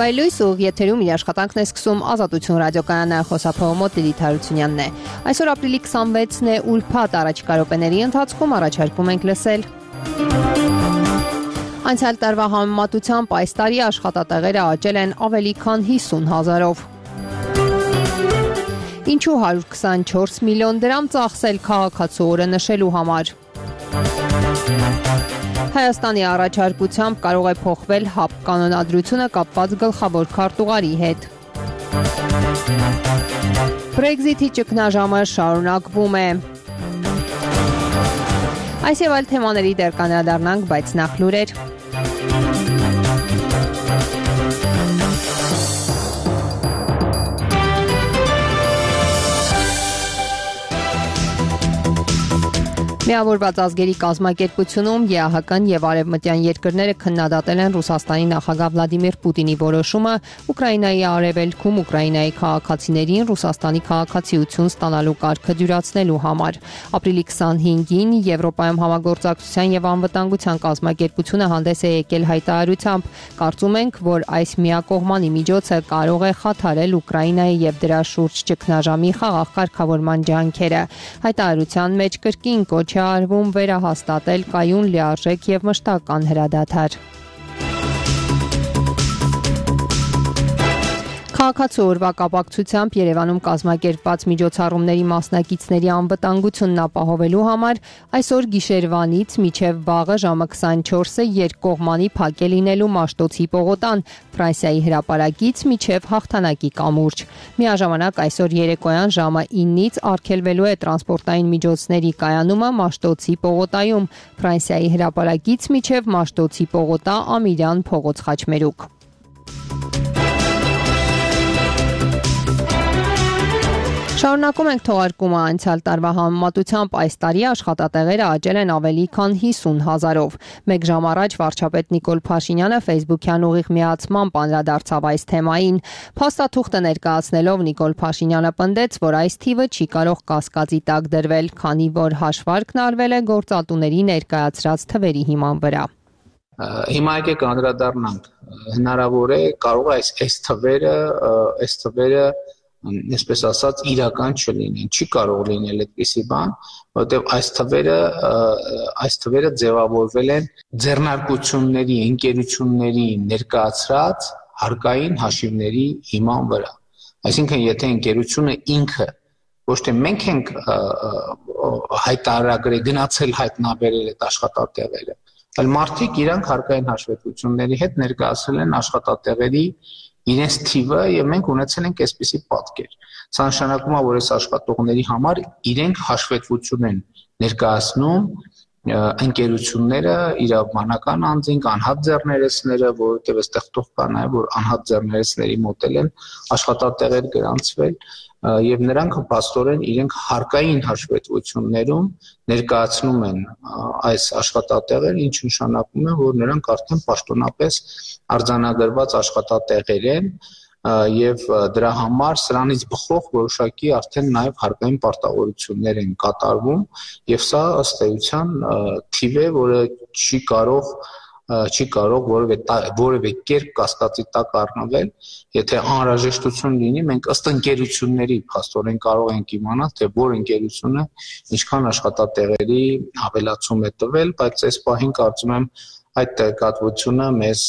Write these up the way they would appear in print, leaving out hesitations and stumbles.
Վայելույս ուղ եթերում իր աշխատանքն է սկսում Ազատություն ռադիոկայանը, խոսափողը մոտ Լիլիթ Հարությունյանն է։ Այսօր ապրիլի 26-ն է, ուրբաթ առաջիկա րոպեների ընթացքում առաջարկում ենք լսել։ Անցյալ տարվա համեմատությամբ այս տարի աշխատատեղերը աճել են ավելի քան 50,000-ով։ Ինչու 124 միլիոն դրամ ծախսել քաղաքացու օրը նշելու համար։ Հայաստանի առաջարկությամբ կարող է փոխվել ՀԱՊ կանոնադրությունը կապված գլխավոր քարտուղարի հետ։ Brexit-ի ճգնաժամը շարունակվում է։ Այս եւ այլ թեմաների դեռ կանդրադառնանք, բայց նախ լուրեր։ Միավորված ազգերի կազմակերպությունում ԵԱՀԿ-ն եւ արևմտյան երկրները քննադատել են Ռուսաստանի նախագահ Վլադիմիր Պուտինի որոշումը Ուկրաինայի արևելքում Ուկրաինայի քաղաքացիներին Ռուսաստանի քաղաքացիություն ստանալու կարգը դյուրացնելու համար։ Ապրիլի 25-ին Եվրոպայում համագործակցության եւ անվտանգության կազմակերպությունը հանդես է եկել հայտարարությամբ։ Կարծում ենք, որ այս միակողմանի միջոցը կարող է խաթարել Ուկրաինայի եւ դրա շուրջ ճգնաժամի խաղաղ կարգավորման ջանքերը։ Հայտարարության մեջ կրկին կոչ արվում վերահաստատել կայուն լիարժեք եւ մշտական հրադադար։ Քաղաքացու օրվա կապակցությամբ Երևանում կազմակերպված միջոցառումների մասնակիցների անվտանգությունն ապահովելու համար այսօր գիշերվանից մինչև վաղը ժամը 24-ը երկկողմանի փակ է լինելու Մաշտոցի պողոտան, Ֆրանսիայի հրապարակից մինչև Հաղթանակի կամուրջ։ Միաժամանակ այսօր երեկոյան ժամը 9-ից արգելվելու է տրանսպորտային միջոցների կայանումը Մաշտոցի պողոտայում, Ֆրանսիայի հրապարակից մինչև Մաշտոցի պողոտա Ամիրյան փողոց խաչմերուկ։ Շարունակում ենք թողարկումը անցյալ տարվա համեմատությամբ այս տարի աշխատատեղերը աճել են ավելի քան 50,000-ով։ Մեկ ժամ առաջ վարչապետ Նիկոլ Փաշինյանը Facebook-յան ուղիղ միացմամբ անդրադարձավ այս թեմային։ Փաստաթուղթը ներկայացնելով Նիկոլ Փաշինյանը պնդեց, որ այս թիվը չի կարող կասկածի տակ դրվել, քանի որ հաշվարկն արվել է գործատուների ներկայացրած թվերի հիման վրա։ Հիմա եկեք անդրադառնանք, հնարավոր է կարող է այս թվերը այսպես ասած իրական չլինեն, չի կարող լինել այդպիսի բան, որովհետև այս թվերը ձևավորվել են ձեռնարկությունների, ընկերությունների ներկայացրած հարկային հաշիվների հիման վրա։ Այսինքն, եթե ընկերությունը ինքը ոչ թե մենք ենք հայտարարել, գնացել հայտնաբերել այդ աշխատատեղերը, այլ մարդիկ իրանք հարկային հաշվետվությունների հետ ներկայացրել են աշխատատեղերի իրենց թիվը եւ մենք ունեցել ենք այսպիսի պատկեր։ Սա նշանակում է, որ այս աշխատողների համար իրենք հաշվետվություն են ներկայացնում ընկերությունները, իրավաբանական անձինք, անհատ ձեռներեցները, որովհետեւ այստեղ թող կա նաեւ, որ անհատ ձեռներեցների մոտ են աշխատատեղեր գրանցվել եւ նրանք փաստորեն իրենք հարկային հաշվետվություններում ներկայացնում են այս աշխատատեղերը, ինչը նշանակում է, որ նրանք արդեն պաշտոնապես արձանագրված աշխատատեղեր են եւ դրա համար սրանից բխող որոշակի արդեն նաեւ հարկային պարտավորություններ են կատարվում եւ սա ըստ էության թիվ է, որը չի կարող որևէ կերպ կասկածի տակ առնվել, եթե անհրաժեշտություն լինի, մենք ըստ ընկերությունների փաստորեն կարող ենք իմանալ, թե որ ընկերությունը ինչքան աշխատատեղերի ավելացում է տվել, բայց այս պահին կարծում եմ այդ տեղեկատվությունը մեզ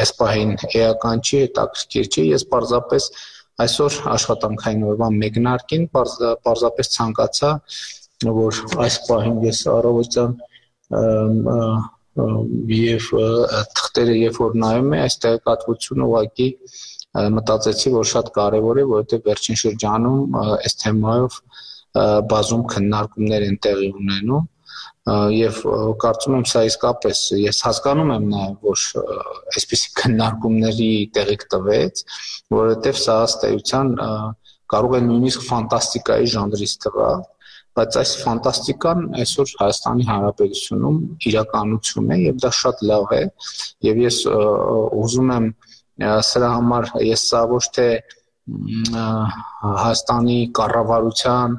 այս պահին էական չի, հետաքրքիր չի, ես պարզապես այսօր աշխատանքային օրվա մեկնարկին պարզապես ցանկացա, որ այս պահին ես առավոտյան եւ թղթերը երբ որ նայում եմ, այս տեղեկատվությունը ուղղակի մտածեցի, որ շատ կարեւոր է, որովհետեւ վերջին շրջանում այս թեմայով բազում քննարկումներ են տեղի ունենում եւ կարծում եմ սա իսկապես ես հասկանում եմ նաեւ որ այսպիսի քննարկումների տեղիք տվեց, որովհետեւ սա ըստ էության կարող է նույնիսկ ֆանտաստիկայի ժանրից թվալ, բայց այս ֆանտաստիկան այսօր Հայաստանի Հանրապետությունում իրականություն է եւ դա շատ լավ է եւ ես ուզում եմ սրա համար ես սա ոչ թե Հայաստանի կառավարության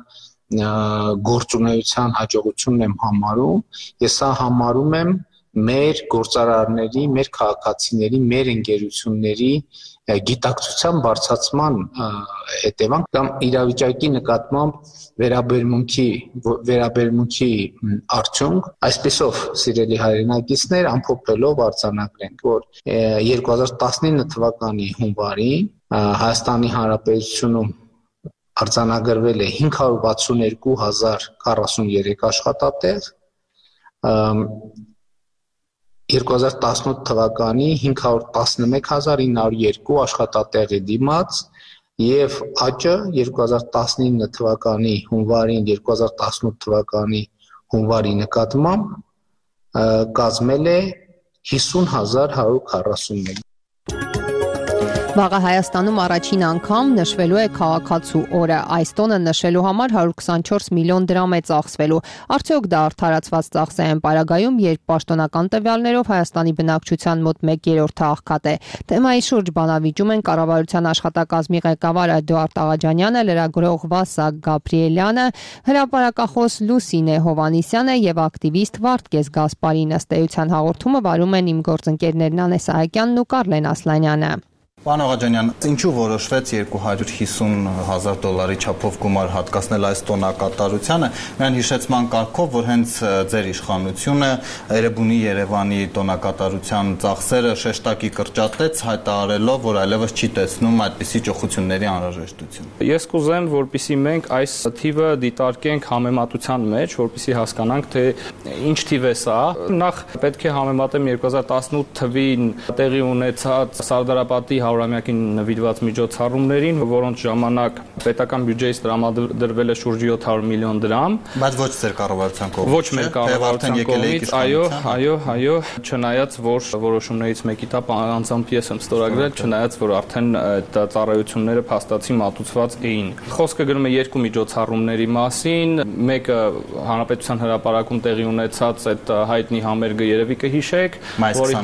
գործունեության հաջողությունն եմ համարում, ես սա համարում եմ մեր գործարարների, մեր քաղաքացիների, մեր ընկերությունների գիտակցության բարձրացման հետևանք կամ իրավիճակի նկատմամբ վերաբերմունքի արդյունք, այսպեսով սիրելի հայրենակիցներ, ամփոփելով արձանագրենք, որ 2019 թվականի հունվարին Հայաստանի Հանրապետությունում արձանագրվել է 562,043 աշխատատեղ, 2018 թվականի 511,902 աշխատատեղի դիմաց եւ աճը 2019 թվականի հունվարին 2018 թվականի հունվարի նկատմամբ կազմել է 50,141։ Վաղը Հայաստանում առաջին անգամ նշվելու է քաղաքացու օրը։ Այս տոնը նշելու համար 124 միլիոն դրամ է ծախսվելու։ Արդյոք դա արդարացված ծախս է այն պարագայում, երբ պաշտոնական տվյալներով Հայաստանի բնակչության մոտ 1/3-ը աղքատ է։ Թեմայի շուրջ բանավիճում են կառավարության աշխատակազմի ղեկավար Էդուարդ Աղաջանյանը, լրագրող Վասակ Գաբրիելյանը, հրապարակախոս Լուսինե Հովանիսյանը եւ ակտիվիստ Վարդգես Գասպարին։ Ըստ էության հաղորդումը վարում են իմ գործընկերներն Անես Սահակյանն ու Կարլեն Ասլանյանը։ Պարոն Աղաջանյան, ինչու որոշվեց $250,000 չափով գումար հատկացնել այս տոնակատարությանը, միայն հիշեցման կարգով, որ հենց ձեր իշխանությունը Էրեբունի Երևանի տոնակատարության ծախսերը շեշտակի կրճատեց, հայտարարելով, որ այլևս չի տեսնում այդպիսի ճոխությունների անհրաժեշտություն։ Ես կուզեմ, որպեսզի մենք այս թիվը դիտարկենք համեմատության մեջ, որպեսզի հասկանանք, թե ինչ թիվ է սա։ Նախ պետք է համեմատեմ 2018 թվին տեղի ունեցած Սարդարապատի հարյուրամյակին նվիրված միջոցառումներին, որոնց ժամանակ պետական բյուջեից տրամադրվել է շուրջ 700 միլիոն դրամ, բայց ոչ ձեր կառավարության կողմից, ոչ մեր կառավարության կողմից, այո, չնայած որ որոշումներից մեկի տապ անձամբ ես եմ ստորագրել, չնայած որ արդեն այդ ծառայությունները փաստացի մատուցված էին։ Խոսքը գնում է երկու միջոցառումների մասին, մեկը Հանրապետության հրապարակում տեղի ունեցած այդ հայտնի համերգը երևի կհիշեք, մայիսի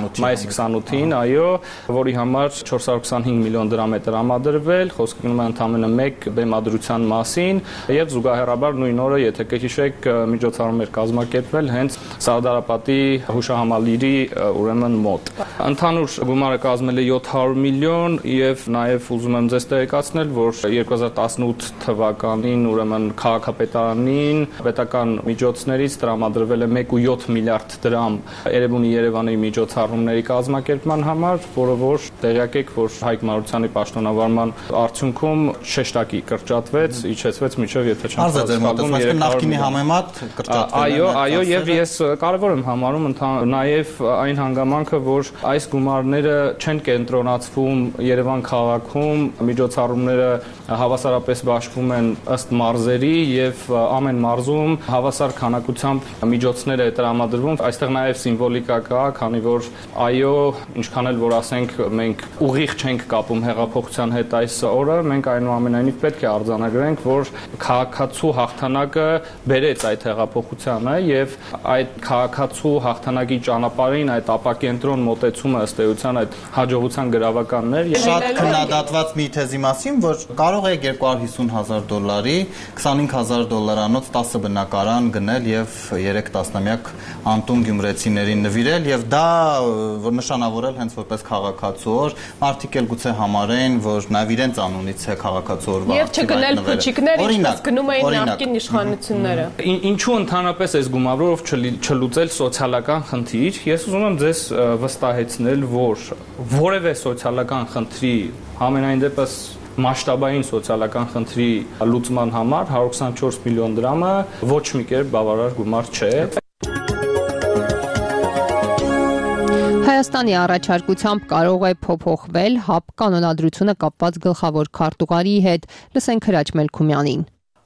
28-ին, այո, որի համար 425 միլիոն դրամ է տրամադրվել, խոսքը գնում է ընդամենը մեկ բեմադրության մասին եւ զուգահեռաբար նույն օրը, եթե կհիշեք, միջոցառում էր կազմակերպվել հենց Սարդարապատի հուշահամալիրի ուրեմն մոտ։ Ընդհանուր գումարը կազմել է 700 միլիոն եւ նաեւ ուզում եմ ձեզ տեղեկացնել, որ 2018 թվականին ուրեմն քաղաքապետարանին պետական միջոցներից տրամադրվել է 1.7 միլիարդ դրամ Էրեբունի Երևանի միջոցառումների կազմակերպման համար, որը որ տեղյակ եք, որ Հայկ Մարությանի պաշտոնավարման արդյունքում շեշտակի կրճատվեց, իջեցվեց մինչև եթե չեմ սխալվում նախկինի համեմատ կրճատվել։ Այո, եւ ես կարևոր եմ համարում նաեւ այն հանգամանքը, որ այս գումարները չեն կենտրոնացվում Երևան քաղաքում, միջոցառումները հավասարապես բաշխվում են ըստ մարզերի եւ ամեն մարզում հավասար քանակությամբ միջոցներ է տրամադրվում։ Այստեղ նաեւ սիմվոլիկա կա, քանի որ այո, ինչքան էլ որ ասենք մենք ուղիղ չենք կապում հեղափոխության հետ այս օրը, մենք այնուամենայնիվ պետք է արձանագրենք, որ քաղաքացու հաղթանակը բերեց այդ հեղափոխությանը եւ այդ քաղաքացու հաղթանակի ճանապարհին այդ ապակենտրոն մոտեցումը ըստ էության այդ հաջողության գրավականն էր։ Շատ քննադատված մի թեզի մասին, որ կարող է $250,000 $25,000 10 բնակարան գնել եւ 3 տասնամյակ անտուն գյումրեցիներին նվիրել եւ դա որ նշանավորել հենց որպես քաղաքացու օր, մարդիկ էլ գուցե համարեն, որ նաեւ իրենց անունից է քաղաքացու օրվա։ Եվ չգնել փուչիկներ, ինչպես գնում էին նախկին իշխանությունները։ Ինչու ընդհանրապես այս գումարով չլուծել սոցիալական խնդիր։ Ես ուզում եմ ձեզ վստահեցնել, որ որևէ սոցիալական խնդրի համենայն դեպս մասշտաբային սոցիալական խնդրի լուծման համար 124 միլիոն դրամը ոչ մի կերպ բավարար գումար չէ։ Հայաստանի առաջարկությամբ կարող է փոփոխվել ՀԱՊ կանոնադրությունը կապված գլխավոր քարտուղարի հետ, լսենք Հրաչ Մելքումյանին։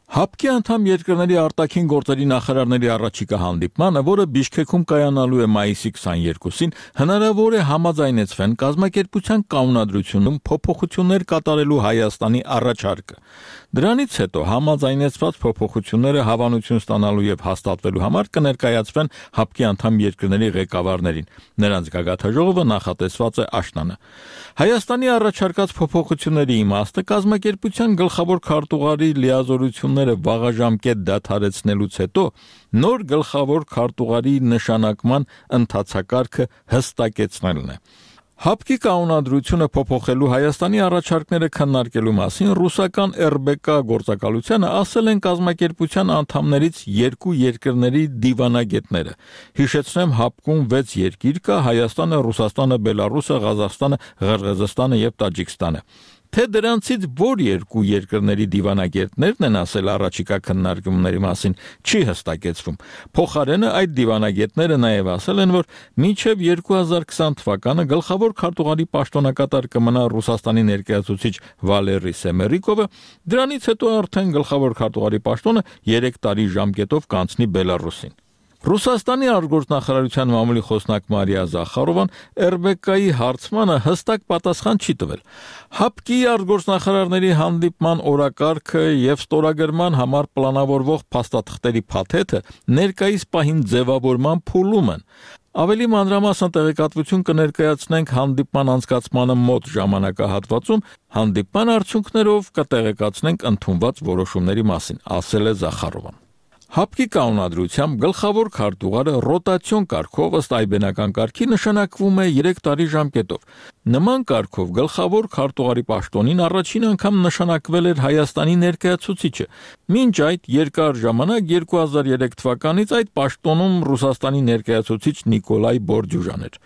ՀԱՊԿ-ի անդամ երկրների արտաքին գործերի նախարարների առաջիկա հանդիպմանը, որը Բիշքեքում կայանալու է մայիսի 22-ին, հնարավոր է համաձայնեցվեն կազմակերպության կանոնադրությունում փոփոխություններ կատարելու Հայաստանի առաջարկը։ Դրանից հետո համաձայնեցված փոփոխությունները հավանություն ստանալու եւ հաստատվելու համար կներկայացվեն ՀԱՊԿ-ի անդամ երկրների ղեկավարներին։ Նրանց գագաթնաժողովը նախատեսված է աշնանը։ Հայաստանի առաջարկած փոփոխությունների իմաստը կազմակերպության գլխավոր քարտուղարի լիազորությունները վաղաժամկետ դադարեցնելուց հետո նոր գլխավոր քարտուղարի նշանակման ընթացակարգը հստակեցնելն է։ ՀԱՊԿ-ի կանոնադրությունը փոփոխելու Հայաստանի առաջարկները քննարկելու մասին ռուսական ՌԲԿ գործակալությանը ասել են կազմակերպության անդամներից երկու երկրների դիվանագետները։ Հիշեցնեմ, ՀԱՊԿ-ում 6 երկիր կա՝ Հայաստանը, Ռուսաստանը, Բելարուսը, Ղազախստանը, Ղրղըզստանը եւ Տաջիկստանը։ Թե դրանցից որ երկու երկրների դիվանագետներն են ասել առաջիկա քննարկումների մասին, չի հստակեցվում։ Փոխարենը այդ դիվանագետները նաև ասել են, որ մինչև 2020 թվականը գլխավոր քարտուղարի պաշտոնակատար կմնա Ռուսաստանի ներկայացուցիչ Վալերի Սեմերիկովը, դրանից հետո արդեն գլխավոր քարտուղարի պաշտոնը 3 տարի ժամկետով կանցնի Բելարուսին։ Ռուսաստանի արտգործնախարարության մամուլի խոսնակ Մարիա Զախարովան ՌԲԿ-ի հարցմանը հստակ պատասխան չի տվել։ ՀԱՊԿ-ի արտգործնախարարների հանդիպման օրակարգը եւ ստորագրման համար պլանավորվող փաստաթղթերի փաթեթը ներկայիս պահին ձևավորման փուլում են։ Ավելի մանրամասն տեղեկատվություն կներկայացնենք հանդիպման անցկացմանը մոտ ժամանակահատվածում, հանդիպման արդյունքներով կտեղեկացնենք ընդունված որոշումների մասին, ասել է Զախարովան։ ՀԱՊԿ-ի կանոնադրությամբ գլխավոր քարտուղարը ռոտացիոն կարգով ըստ այբենական կարգի նշանակվում է 3 տարի ժամկետով։ Նման կարգով գլխավոր քարտուղարի պաշտոնին առաջին անգամ նշանակվել էր Հայաստանի ներկայացուցիչը։ Մինչ այդ երկար ժամանակ 2003 թվականից այդ պաշտոնում Ռուսաստանի ներկայացուցիչ Նիկոլայ Բորդյուժան էր։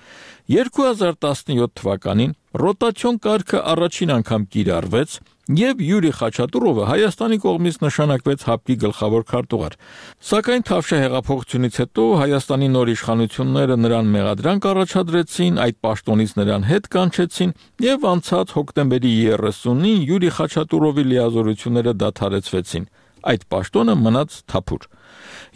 2017 թվականին ռոտացիոն կարգը առաջին անգամ կիրառվեց եւ Յուրի Խաչատուրովը Հայաստանի կողմից նշանակվեց ՀԱՊԿ-ի գլխավոր քարտուղար։ Սակայն Թավշյա հեղափոխությունից հետո Հայաստանի նոր իշխանությունները նրան մեղադրանք առաջադրեցին, այդ պաշտոնից նրան հետ կանչեցին եւ անցած հոկտեմբերի 30-ին Յուրի Խաչատուրովի լիազորությունները դադարեցվեցին։ Այդ պաշտոնը մնաց թափուր։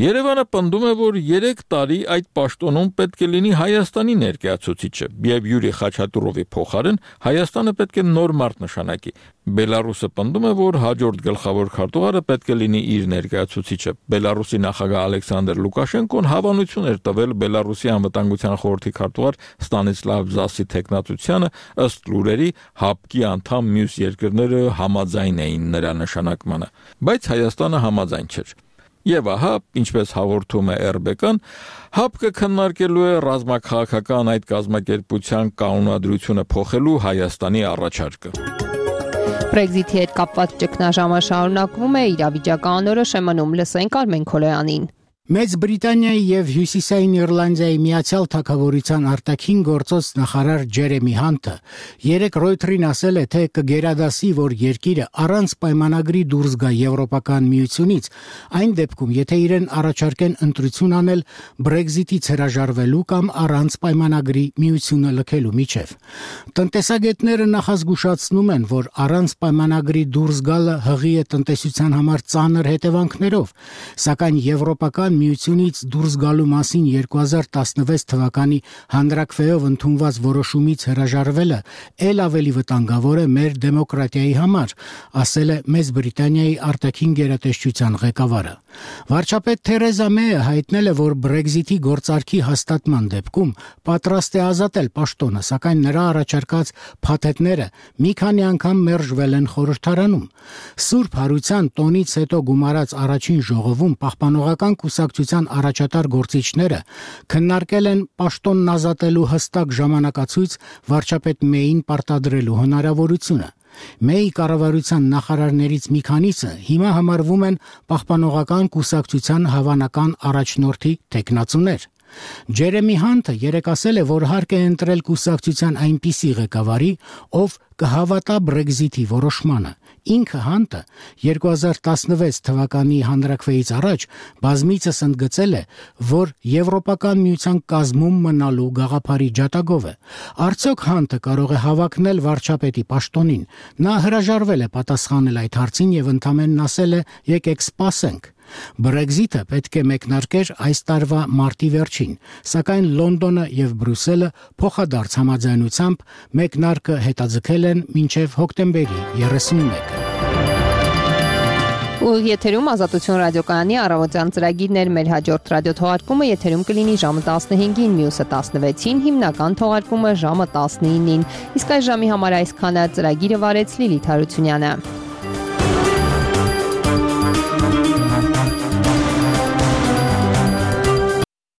Երևանը պնդում է, որ 3 տարի այդ պաշտոնում պետք է լինի Հայաստանի ներկայացուցիչը, եւ Յուրի Խաչատուրովի փոխարեն Հայաստանը պետք է նոր մարդ նշանակի։ Բելարուսը պնդում է, որ հաջորդ գլխավոր քարտուղարը պետք է լինի իր ներկայացուցիչը։ Բելարուսի նախագահ Ալեքսանդր Լուկաշենկոն հավանություն էր տվել Բելարուսի անվտանգության խորհրդի քարտուղար Ստանիսլավ Զասի թեկնածությանը, ըստ լուրերի ՀԱՊԿ-ի անդամ մյուս երկրները համաձայն էին նրա նշանակմանը, բայց Հայաստանը համաձայն չէր։ Եվ ահա, ինչպես հաղորդում է ՌԲԿ-ն, ՀԱՊԿ-ը քննարկելու է ռազմաքաղաքական այդ կազմակերպության կանոնադրությունը փոխելու Հայաստանի առաջարկը։ Բրեքզիթի հետ կապված ճգնաժամը շարունակվում է, իրավիճակը անորոշ է մնում, լսենք Արմեն Քոլոյանին։ Մեծ Բրիտանիայի եւ Հյուսիսային Իռլանդիայի Միացյալ Թագավորության արտաքին գործոց նախարար Ջերեմի Հանտը երեկ Ռոյթերին ասել է, թե կգերադասի, որ երկիրը առանց պայմանագրի դուրս գա Եվրոպական միությունից, այն դեպքում, եթե իրեն առաջարկեն ընտրություն անել Բրեքզիթից հրաժարվելու կամ առանց պայմանագրի միությունը լքելու միջև։ Տնտեսագետները նախազգուշացնում են, որ առանց պայմանագրի դուրս գալը հղի է տնտեսության համար ծանր հետևանքներով, սակայն Եվրոպական միությունից դուրս գալու մասին 2016 թվականի հանրաքվեով ընդունված որոշումից հրաժարվելը ել ավելի վտանգավոր է մեր դեմոկրատիայի համար, ասել է Մեծ Բրիտանիայի արտաքին գերատեսչության ղեկավարը։ Վարչապետ Թերեզա Մեյը հայտնել է, որ Բրեքզիթի գործարքի հաստատման դեպքում պատրաստ է ազատել պաշտոնը, սակայն նրա առաջարկած փաթեթները մի քանի անգամ մերժվել են խորհրդարանում։ Սուրբ Հարության տոնից հետո գումարած առաջին ժողովում պահպանողական կուսակցության առաջատար գործիչները քննարկել են պաշտոնն ազատելու հստակ ժամանակացույց վարչապետ Մեյին պարտադրելու հնարավորությունը։ Մեյի կառավարության նախարարներից մի քանիսը հիմա համարվում են պահպանողական կուսակցության հավանական առաջնորդի թեկնածուներ։ Ջերեմի Հանտը երեկ ասել է, որ հարկ է ընտրել կուսակցության այնպիսի ղեկավարի, ով կհավատա Բրեքզիթի որոշմանը։ Ինքը Հանտը 2016 թվականի հանրաքվեից առաջ բազմիցս ընդգծել է, որ Եվրոպական միության կազմում մնալու գաղափարի ջատագով է։ Արդյոք Հանտը կարող է հավակնել վարչապետի պաշտոնին։ Նա հրաժարվել է պատասխանել այդ հարցին եւ ընդամենն ասել է՝ եկեք սպասենք։ Բրեքզիթը պետք է մեկնարկեր այս տարվա մարտի վերջին, սակայն Լոնդոնը եւ Բրյուսելը փոխադարձ համաձայնությամբ մեկնարկը հետաձգել են մինչև հոկտեմբերի 31-ը։ Ուղիղ եթերում Ազատություն ռադիոկայանի առավոտյան ծրագիրն էր։ Մեր հաջորդ ռադիոթողարկումը եթերում կլինի ժամը 15-ին, մյուսը 16-ին, հիմնական թողարկումը ժամը 19-ին։ Իսկ այս ժամի համար այսքանը։ Ծրագիրը վարեց Լիլիթ Հարությունյանը։